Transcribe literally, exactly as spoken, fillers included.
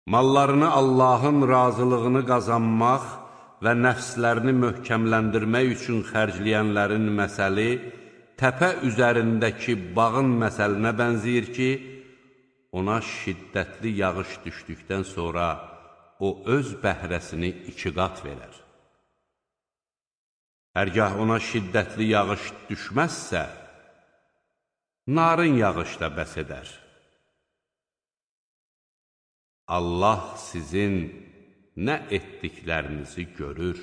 Mallarını Allahın razılığını qazanmaq və nəfslərini möhkəmləndirmək üçün xərcləyənlərin məsəli təpə üzərindəki bağın məsəlinə bənzəyir ki, ona şiddətli yağış düşdükdən sonra o öz bəhrəsini iki qat verər. Hərgah ona şiddətli yağış düşməzsə, narın yağış da bəs edər. Allah sizin nə etdiklərinizi görür.